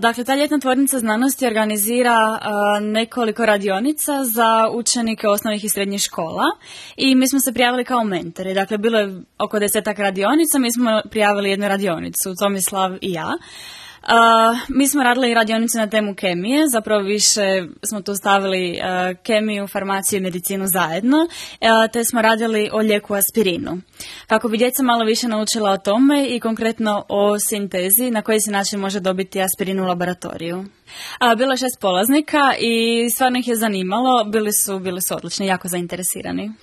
Dakle, ta ljetna tvornica znanosti organizira nekoliko radionica za učenike osnovnih i srednjih škola i mi smo se prijavili kao mentori. Dakle, bilo je oko 10 radionica, mi smo prijavili jednu radionicu, Tomislav i ja. Mi smo radili radionicu na temu kemije, zapravo više smo tu stavili kemiju, farmaciju i medicinu zajedno, te smo radili o lijeku aspirinu. Kako bi djeca malo više naučila o tome i konkretno o sintezi na koji se način može dobiti aspirin u laboratoriju. Bilo je 6 polaznika i stvarno ih je zanimalo, bili su odlični, jako zainteresirani.